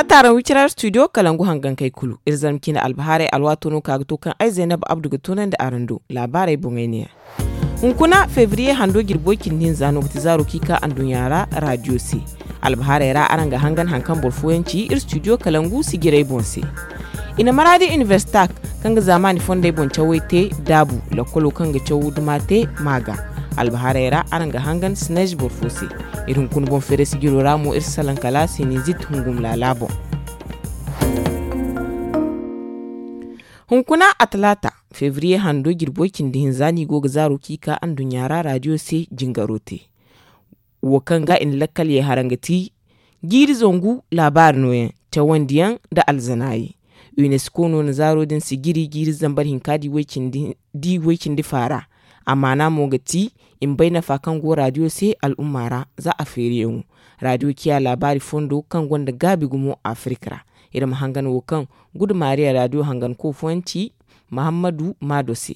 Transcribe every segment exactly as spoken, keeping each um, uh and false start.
Taaraŋ wicira studio kalangu hangankey kulu iri zarma cine albahaarey alwaato no ka ga to kaŋ ay zaynab abdu ga toonandi araŋ do. Laabaarey boŋey ne yaŋ. Hunkuna febriye hando jirbo cindi hinza no ga ti zaaro kaŋ i ka anduɲɲa ra radio se. Albahaarey ra araŋ ga hangan hari kaŋ boro fooyaŋ ci iri studio kalangu sijirey boŋ se. I na maraadi inibersita kaŋ ga zaamaani fondey boŋ cawey te daabu, lakkolo kaŋ ga caw duma te ma ga. Albahaarey ra araŋ ga hangan sineez boro fo se. Iri hunkuna boŋ feere sijiro ra mo iri si salaŋ kala sinizit hungum laala boŋ. Hunkuna a talaata, febriye hando jirbo cindi hinza no i go ga zaaro kaŋ i ka anduɲɲa ra radio se jingaro te. Wo kaŋ ga i na lakkal ye haraŋ ga ti jiiri zangu laabaari nooyaŋ, cawandiyaŋ nda alzanaayi. Unesco no na zaaro din sijiri jiiri zambar hinka di way cindi faara. Amaana mo ga ti i ma bay nafa kaŋ go radio se al'umma ra. Za a feeriyaŋo radio ciya laabaari fondo kaŋ gonda gaabi gumo afirika ra. Iri ma hangan wo kaŋ gudu maariya radio hanganko fooyaŋ ci mahammadu maado se.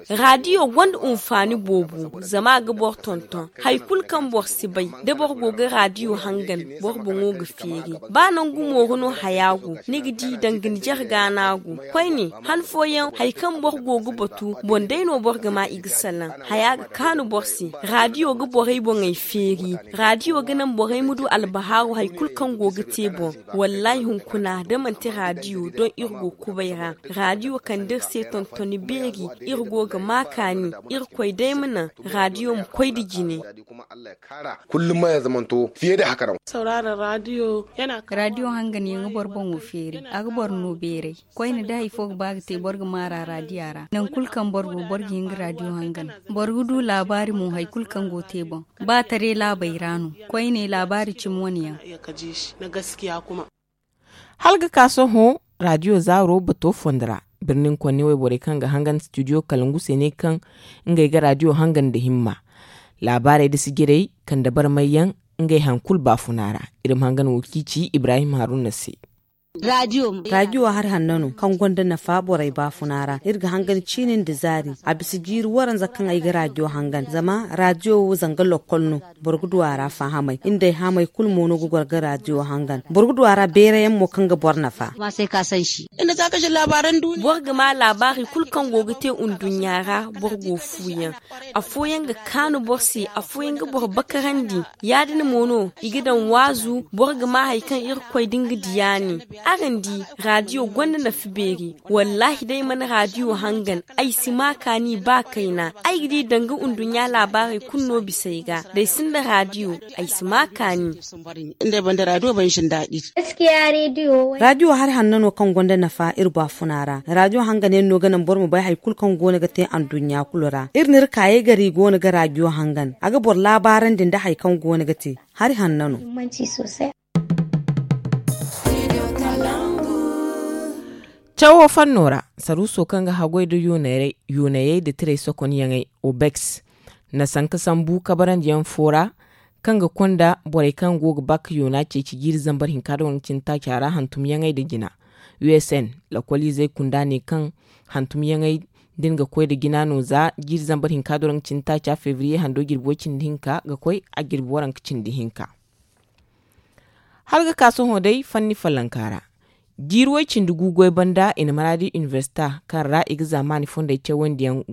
Radio gonda hunfaani boobo zama a ga boro tonton. Hari kulu kaŋ boro si bay da boro go ga radio hangan, boro boŋo ga feeri. Ba nangu mooru no haya go, ni ga di danga ni jarga no a go. Koyne han fooyaŋ hari kaŋ boro go ga batu boŋ day no boro ga ma i ga salaŋ. Haya ga kaanu boro se. Radio ga borey boŋey feeri. Radio ga naŋ borey ma du albahaaru hari kulu kaŋ go ga te boŋ. Wallaahi hunkuna da manti radio doŋ iri go kubay ra. Radio kande iri se tontoni beeri. Iri go ga ma kaani. Irkoy day ma naŋ radio ma koy nda jine. Kullum ma ya zamanto fiye da haka nan. Sauraron radio yana radio hangan yaŋ ga boro boŋo feeri. A ga boro no beeray. Koyne da hari fo ga ba ga te boro ga maara radio ra nangu kulu kaŋ boro go boro ga hin ga radio hangan. Boro ga du laabaari mo hari kulu kaŋ go te boŋ. Ba taray laabey ra no. Koyne laabaari cimi wane yaŋ. Hala ga ka sohõ radio zaaro bato fondo ra. Birnin konne wayborey kaŋ ga hangan studio kalangu se ne kaŋ ngey ga radio hangan nda himma. Laabaarey nda sijirey kande barmay yaŋ ngey hari kulu baafuna ra. Iri ma hangan wo kaŋ i ci ibrahim haruna se. Radio hari hanno no kaŋ gonda nafa borey baafuna ra. Iri ga hangan ciini nda zaari. A bisa jiiri waranza kaŋ ay ga radio hangan zama radio wo zanga lokkol no. Boro ga du a ra fahamay. Iri nda ay haamay kulu mo no ga goro ga radio hangan. Boro ga du a ra beerayaŋ mo kaŋ ga boro nafa. Boro ga ma laabaari kulu kaŋ go ga te nduɲɲa ra. Boro go fuuyaŋ. Afooyaŋ ga kaanu boro se. Afooyaŋ ga boro bakarandi. Ya- din mo no i ga daŋ waazu. Boro ga ma hari kaŋ irkoy da nga diya ne. Araŋ di radio gonda nafa beeri. Wallaahi da ay mana radio hangan ay si ma kaani ba kayna. Ay ga di danga nduɲɲa laabaarey kulu no bisa ay ga da ay sinda radio. Ay si ma kaani. Radio hari hanno no kaŋ gonda nafa iri baafuna ra. Radio hangan yaŋ no ga naŋ boro ma bay hari kulu kaŋ go no ga te nduɲɲa kulu ra. Iri n'iri kaayey gar i go no ga radio hangan a ga boro laabaarandi nda hari kaŋ go no ga te. Hari hanno no. Cawo fanno ra, saruuso kaŋ ga haggoy nda yoonayey nda tiray sokonyaŋey, obex, na sanka sambu kabarandiyaŋ fo ra, kaŋ ga konda borey kaŋ go ga bakka yoona ceeci jiiri zambar hinka nda waranka cindi taaca ra hantumyaŋey nda jina. Usn, lakkoliizey kunda ne kaŋ hantumyaŋey din ga koy nda jina no za jiiri zambar hinka nda waranka cindi taaca febriye hando jirbi way cindi hinka ga koy a jirbi waranka cindi hinka. Hala ga ka sohõ day fanni follonka ra. Jiiri way cindi gu goy banda i na maraadi inibersita kaŋ ra i ga zaamaani fondey cawandi yaŋ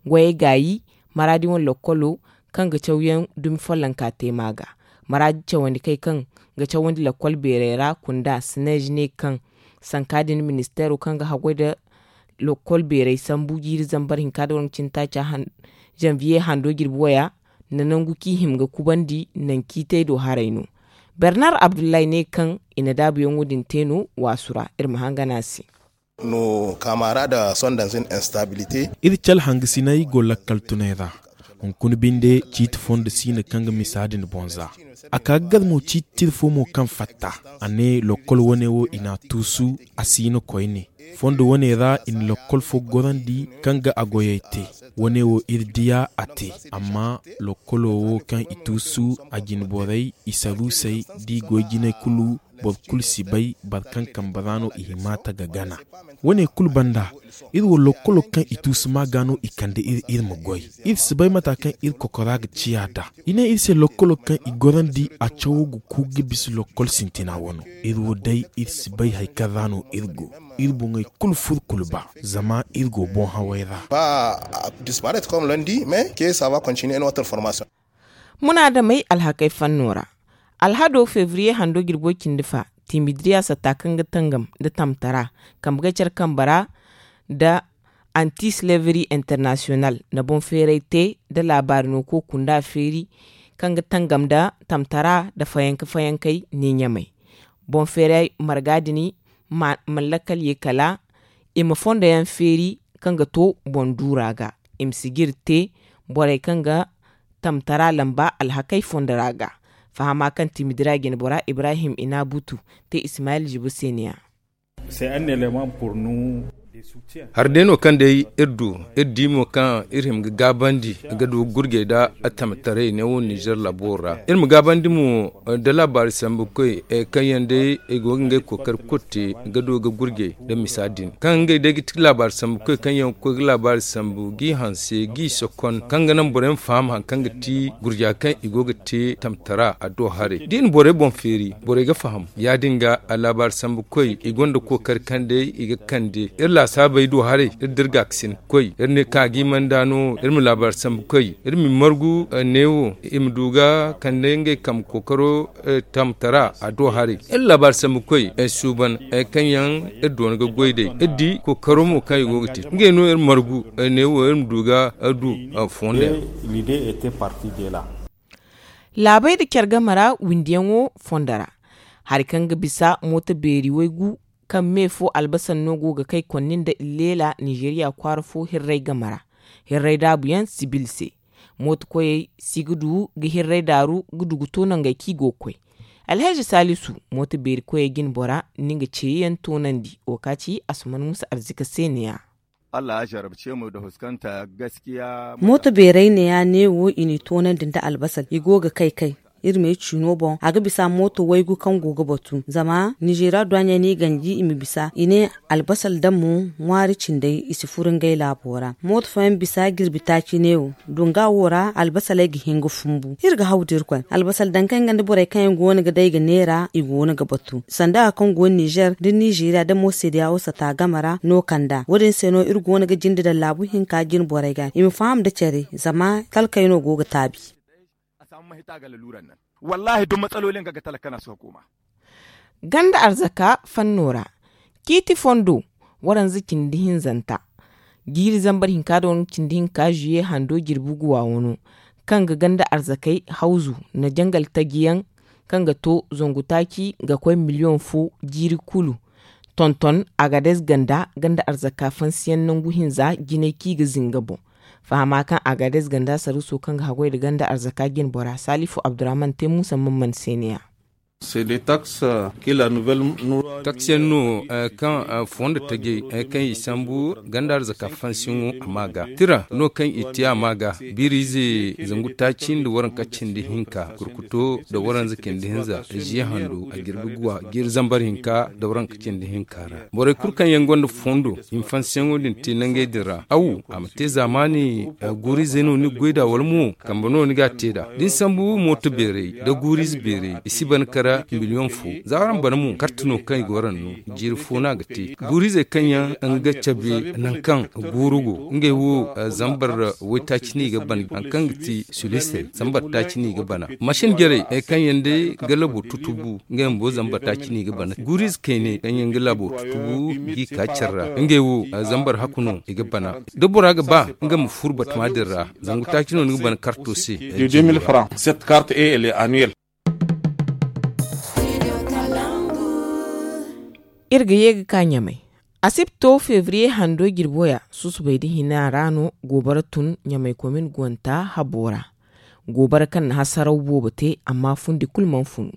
goyey gaayi. Maraadi wane lokkolo kaŋ ga cawyaŋ dumi follonka te ma ga. Maraadi cawandi kay kaŋ ga cawandi lokkol beerey ra kunda sineez ne kaŋ sanka din ministeero kaŋ ga haggoy nda lokkol beerey sambu jiiri zambar hinka nda waranka cindi taaca zanviye hando jirbi waya nda nangu kaŋ i hima ga kubandi naŋ kaŋ i te do haray no. Bernar abdullahi ne kaŋ i na daabuyaŋo din te no waasu ra. Iri ma hangan a se. Iri cale hangasinay go lakkal tunay ra. Hunkuna binde ciiti fondo si no kaŋ ga misa din boŋ za. A ka ga gar mo ciiti tira fo mo kaŋ fatta. A ne lokkol wane wo i n'a tuusu a si no koyne. Fondo wane ra i na lokkol fo gorandi kaŋ ga a goyey te. Wane wo iri diya a te. Amma lokkolo wo kaŋ i tuusu a jine borey i saruusey da i goy jinay kulu boro kulu si bay boro kaŋ kambe ra no i hima ta ga gana. Wo- ne kulu banda, iri wo lokkolo kaŋ i tuusu ma ga no i kande iri iri ma goy. Iri si bay mata kaŋ iri kokora ga ciya nd'a. I ne iri se lokkolo kaŋ i gorandi a cawo ga ku ga bisa lokkol sintina wano. Iri wo day iri si bay hari kaŋ ra no iri go. Iri boŋey kulu furu kulu ba, zama iri go boŋ haway ra. Munaadamey alhakey fanno ra. Alhado febriye hando jirbo cindi fa, timidiriya satta kaŋ ga tangam nda tamtara, kambe ga care kambe ra nda anti slavery international na boŋ feeray te nda laabaari no koy kunda feeri kaŋ ga tangam nda tamtara nda fayanka fayankey ne ɲamay. Boŋ feeray marga din, ma lakkal ye kala i ma fondo yaŋ feeri kaŋ ga to boŋ duura ga, i ma si g'iri te borey kaŋ ga tamtara lamba alhakey fondo ra ga. Fahama kaŋ timidira jinbora ibrahim inabutu te ismayil jibo se ne ya. Hari day no kaŋ day iri du, iri di mo kaŋ iri hima ga gaabandi ga du ga gurjey nda tamtaray neewo ninzeer laabo ra. Iri ma gaabandi mo nda laabaari sambu koy kaŋ yaŋ day i go ga ngey kookari kulu te ga du ga gurjey nda misa din kaŋ ngey day ga ti laabaari sambu koy kaŋ yaŋ ga koy ga laabaari sambu g'i hanse g'i sokon kaŋ ga naŋ borey ma faham hari kaŋ ga ti gurja kaŋ i go ga te tamtara a do haray da i na borey boŋ feeri borey ga faham. Ya- din ga laabaari sambu koy i gonda kookari kaŋ day i ga kande iri laasaabey do haray iri da iri ga ga sin koy iri ne ka g'i manda no iri ma laabaari sambu koy iri ma i margu neewo i ma du ga kande ngey kambe kookaro tamtara a do haray. Iri laabaari sambu koy suuban kaŋ yaŋ iri doona ga goy day iri di kookaro mo kaŋ i go ga te ngey no iri margu neewo iri ma du ga du fondo yaŋ. Laabey nda care game ra windiyaŋo fondo ra. Hari kaŋ ga bisa mooto beeri waygu kaŋ me fo albasar no go ga kay konni nda illeela ninzeeriya kwaara fo hirray game ra. Hirray daabu yaŋ sibil se mooto koyey si ga du ga hirray daaru ga du ga to nangey kaŋ i go ga koy. Alhazi saalisu mooto beeri koyey jinbora ni nga ceeyaŋ toonandi wo ka ci asuman musa arzika se ne ya. Mooto beerey ne ya neewo i n'i toonandi nda albasal i go ga kay kay. Iri ma ay ciino boŋ a ga bisa mooto waygu kaŋ go ga batu zama ninzeeriya duwaaɲey no i ganji i ma bisa i ne albasal daŋ mo ŋwaari cindey i si furu ngey laabo ra. Mooto fooyaŋ bisa jirbi taaci neewo dunga wo ra albasaley ga hin ga fumbu iri ga haw da irkoy albasal daŋ kaŋ nga nda borey kaŋ yaŋ go no ga day ga neera i go no ga batu sanda hari kaŋ go no ninzeer da ninzeeriya da mo seedeya wo sata game ra no kand'a wo- din se no iri go no ga jinde daŋ laabu hinka jine borey ga i ma faham nda care zama talkey no go ga taabi. Wallaahi duk matsalolin ga ga talaka na suka koma. Ganda arzaka fanno ra ciiti fondo waranza cindi hinzanta jiiri zambar hinka da waranza cindi hinka zuye hando jirbi guwa wano kaŋ ga ganda arzakey hawzu nda jangal taji yaŋ kaŋ ga to zangu taaci ga koy miliyoŋ fo jiiri kulu. Tonton agades ganda ganda arzaka fansiyaŋ nangu hinza jinay kaŋ i ga zinga boŋ. Fahama kaŋ agades ganda saruuso kaŋ ga haggoy nda ganda arzaka jinbora salifu abdurrahman te muusa man man se ne ya. Taksi yaŋ no kaŋ fondo tajey kaŋ i sambu ganda arzaka fansiyaŋo a ma ga tira no kaŋ i te a ma ga biiriize zangu taaci nda waranka cindi hinka kurkuto nda waranza cindi hinza ziya hando a jirbi guwa jiiri zambar hinka nda waranka cindi hinka ra. Borey kulu kaŋ yaŋ gonda fondo i ma fansiyaŋo din te nangey din ra aw a ma te zaamaani guuriizey no ni ga goy nd'a wala mo kambe no ni ga a te nd'a da ni sambu mooto beerey nda guuriize beerey i si ban kara miliyoŋ fo. Za araŋ bana mo karte no kaŋ i go araŋ no jiiri fo no a ga te. Guuriizey kaŋ yaŋ nga cabe nangu kaŋ guuru go ngey wo zambar waytaaci no i ga ban hari kaŋ ga ti sulisey zambar taaci no i ga bana. Masin jarey hari kaŋ yaŋ day ga labo tutubu ngey bumbo zambar taaci no i ga bana guuriize kayne kaŋ yaŋ ga labo tutubu g'i ka care ra ngey wo zambar haku no i ga bana. Da bora ga ba nga ma furu batama din ra zangu taaci no ni ga bana karto se. Cette carte est elle est annuelle. Iri ga ye ga ka ɲamay asibto febriye hando jirbo ya susubay da hina ra no goobara tun ɲamay komin guwanta habo ra. Goobara kaŋ na hasaraw boobo te amma fundi kulu mana funu.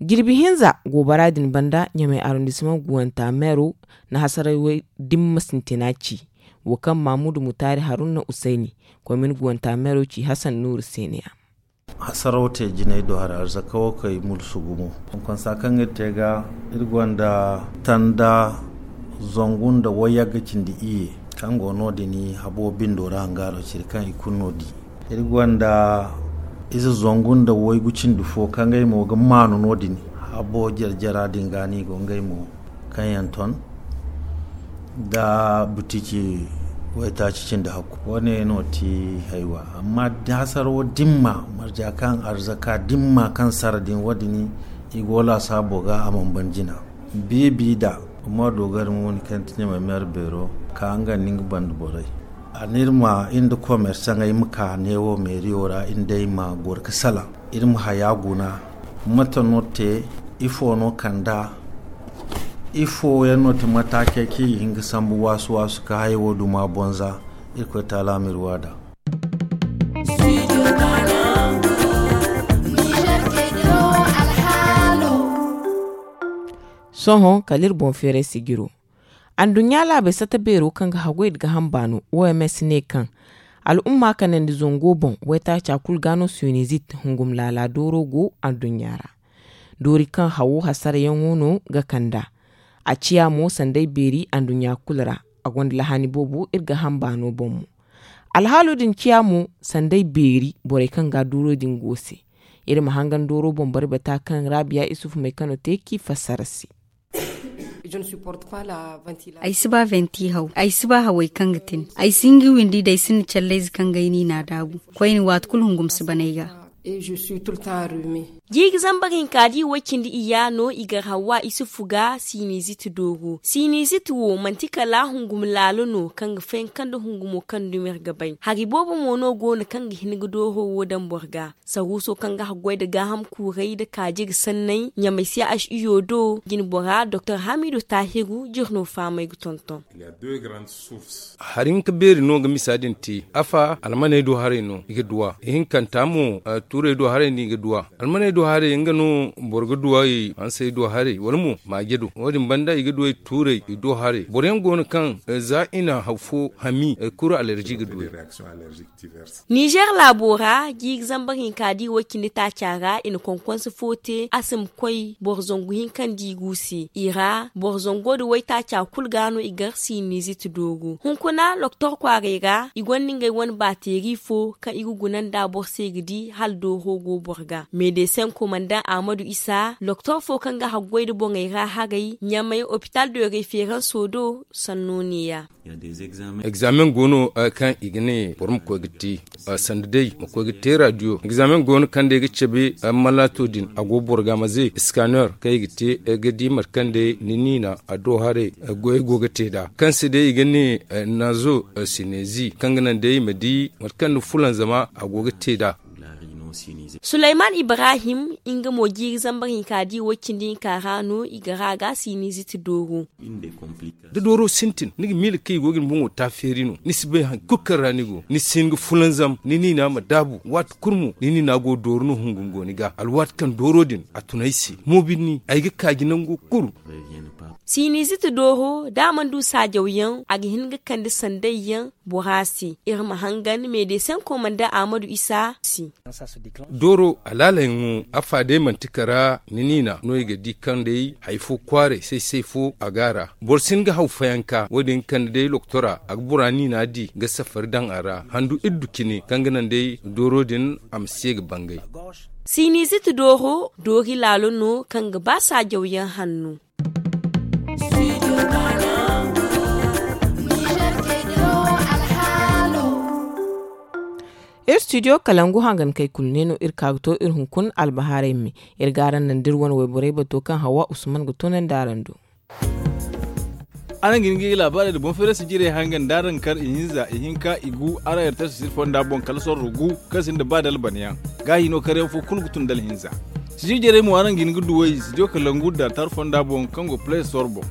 Jirbi hinza goobara din banda ɲamay arrondissement guwanta meero na hasaraw way dimma sintina ci. Wo kaŋ mamudu mutaari haruna usayni komin guwanta meero ci hasan nuuru se ne ya. Hasaraw te jinay do hari arzaka wo kay mulsu gumo. Konsa kaŋ iri te ga, iri gonda tanda zangu nda wayagga cindi iyye kaŋ go no- din habo bindo ra hangaro ciri kaŋ i kulu no di. Iri gonda ize zangu nda waygu cindi fo kaŋ ay mo ga maanu no- din. Habo jare-jara din ga no i go ngey mo kaŋ yaŋ ton da butici waytaaci cindi hakku. Wo- ne no ti haywa amma hasaro dimma marja kaŋ arzaka dimma kaŋ sara din wo- din i go laasaabo ga a mana ban jina. Biibi da amma doogari mo ni kaŋ ti ɲamay meera beero ka nga nda nga banda borey. A ne iri ma iri nda komersaŋey ma ka neewo meeriyo ra iri nd'ey ma goro ga salaŋ. Iri ma haya guna mate no te? Ifo no kand'a? Ifo yaŋ no ti mataakey kaŋ i ga hin ga sambu waasu-waasu ka hayey wo duma bonza? Irkoy taala ma iri waada. Sohõ kala iri boŋ feeray sijiro. Anduɲɲa laabey sata beero kaŋ ga haggoy nda gaaham baano oms ne kaŋ al'umma kanandi zango boŋ waytaaca kulu ga no sinizit hungum laala dooro go anduɲɲa ra. Doori kaŋ hawo hasarayaŋo no ga kand'a. A ciya mo sanday beeri anduɲɲa kulu ra. A gonda lahaani boobo iri gaaham baano boŋ mo. Alhaalo din ciya mo sanday beeri borey kaŋ ga dooro din go se. Iri ma hangan dooro boŋ barbata kaŋ raabiya isufu may kano te k'i fassara se. Ay si ba venti haw ay si ba hawey kaŋ ga tin. Ay si hin ga windi da ay sinda callayze kaŋ ga ay niina daabu. Koyne waati kulu hungum si ban ay ga. Jiiri zambar hinka da i way cindi iyya no i gar hawa isufu ga sinizit dooro. Sinizit wo manti kala hungum laalo no kaŋ ga fayanka nda hungumo kaŋ dumi iri ga bay. Hari boobo mo no go no kaŋ ga hin ga dooro wo daŋ boro ga. Saruuso kaŋ ga haggoy nda gaaham kuuray nda kaaji ga sanney ɲamay se aš iyo do jinbora doktor hamidu taahiru jir no fahamay ga tonton. Hari hinka beeri no ga misa din te. Afa almaney do haray no i ga duw'a ihinkanta mo tuurey do haray no i ga duw'a. Almaney do haray nga no boro ga duw'a i hansey do haray wala mo maaje do wo- din banda i ga duw'a i tuurey i do haray boro yaŋ go no kaŋ za i na haw fo hami kuru alerji ga duw'a. Nizer laabo ra jiiri zambar hinka da i way cindi taaca ra i na konkonse fo te a si ma koy boro zangu hinka nda i gu se i ra boro zango nda waytaaca kulu ga no i gar sinizit dooro hunkuna loktor kwaaray ra i gonda ngey wane baateeri fo kaŋ i ga guna nda boro se ga di hala dooro go boro ga medeseŋ komandaŋ ahmadu isa loktor fo kaŋ ga haggoy nda boŋey ra haray ɲamay opital de referanso do sanno ne- ya. Egzamen go no kaŋ i ga ne boro ma koy ga te sanda day ma koy ga te radiyo egzamen go no kaŋ day ga cabe malaato din a go boro ga maze scanner kaŋ i ga te ga di mate kaŋ day ni niina a do haray goyey go ga te nd'a kaŋ se day i ga ne nazo sinezi kaŋ ga naŋ day i ma di mate kaŋ ni fulanzama a go ga te nd'a. Sulayman ibrahim nga mo jiiri zambar hinka da i way cindi hinka ra no i ga ra ga sinizit dooro. Da dooro sintin ni ga miila kaŋ i go ga ni boŋo taafeeri no ni si bay hari kulu kaŋ ra ni go ni si hin ga fulanzam ni niina ma daabu waati kulu mo ni niina go dooro no hungu ni go ni ga alwaati kaŋ dooro din a tun ay se moobinni ay ga kaaji nango kulu. Sinizit dooro da a mana du saajawyaŋ a ga hin ga kande sandayyaŋ bora se iri ma hangan medeseŋ komanda ahmadu isa se. Dooro alaalayaŋo afa day manti kara ni niina no i ga di kaŋ day hari fo kwaaray say-say fo a ga a ra boro si hin ga haw fayanka wo- din ga kande day loktora a ga bora niina di ga safari daŋ a ra handu iddu cine kaŋ ga naŋ day dooro din a ma se ga bangay. Sinizit dooro doori laalo no kaŋ ga ba saajawyaŋ hanno. Iri studio kalangu hangankey kulu ne no iri ka ga to iri hunkuna albahaarey me. Iri ga araŋ naŋ da iri wane wayborey bato kaŋ hawa usman ga toonandi araŋ do. Araŋ ga hin ga iri laabaarey nda boŋ feerasi jirey hangan da araŋ kar ihinza ihinka igu araŋ iri taasi siri fonda boŋ kala sorro gu kaŋ sinda ba dalbanayaŋ. Gaahi no karyaŋ fo kulu ga tun da alhinza. Sijir jarey mo araŋ ga hin ga duw'ey studio kalangu nda tar fonda boŋ kaŋ go play store boŋ.